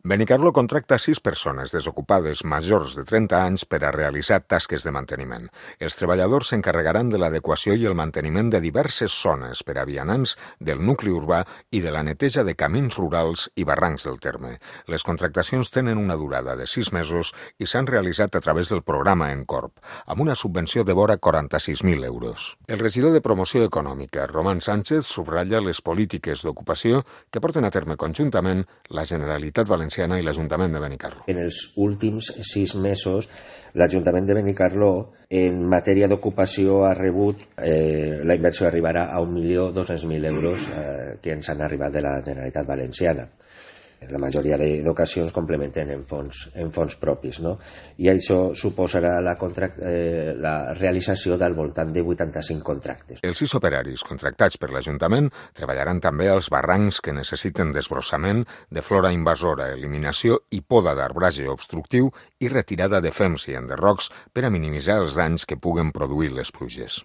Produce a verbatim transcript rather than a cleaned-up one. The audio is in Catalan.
Benicarló contracta sis persones desocupades majors de trenta anys per a realitzar tasques de manteniment. Els treballadors s'encarregaran de l'adequació i el manteniment de diverses zones per a vianants del nucli urbà i de la neteja de camins rurals i barrancs del terme. Les contractacions tenen una durada de sis mesos i s'han realitzat a través del programa Encorp, amb una subvenció de vora quaranta-sis mil euros. El regidor de Promoció Econòmica, Román Sánchez, subratlla les polítiques d'ocupació que porten a terme conjuntament la Generalitat Valenciana i l'Ajuntament de Benicarló. En els últims sis mesos, l'Ajuntament de Benicarló, en matèria d'ocupació, ha rebut, eh, la inversió arribarà a un milió dos-cents mil euros eh, que ens han arribat de la Generalitat Valenciana. La majoria d'ocasions complementen en fons, en fons propis, no? I això suposarà la, contract, eh, la realització del voltant de vuitanta-cinc contractes. Els sis operaris contractats per l'Ajuntament treballaran també als barrancs que necessiten desbrossament de flora invasora, eliminació i poda d'arbrage obstructiu i retirada de fems i enderrocs per a minimitzar els danys que puguen produir les pluges.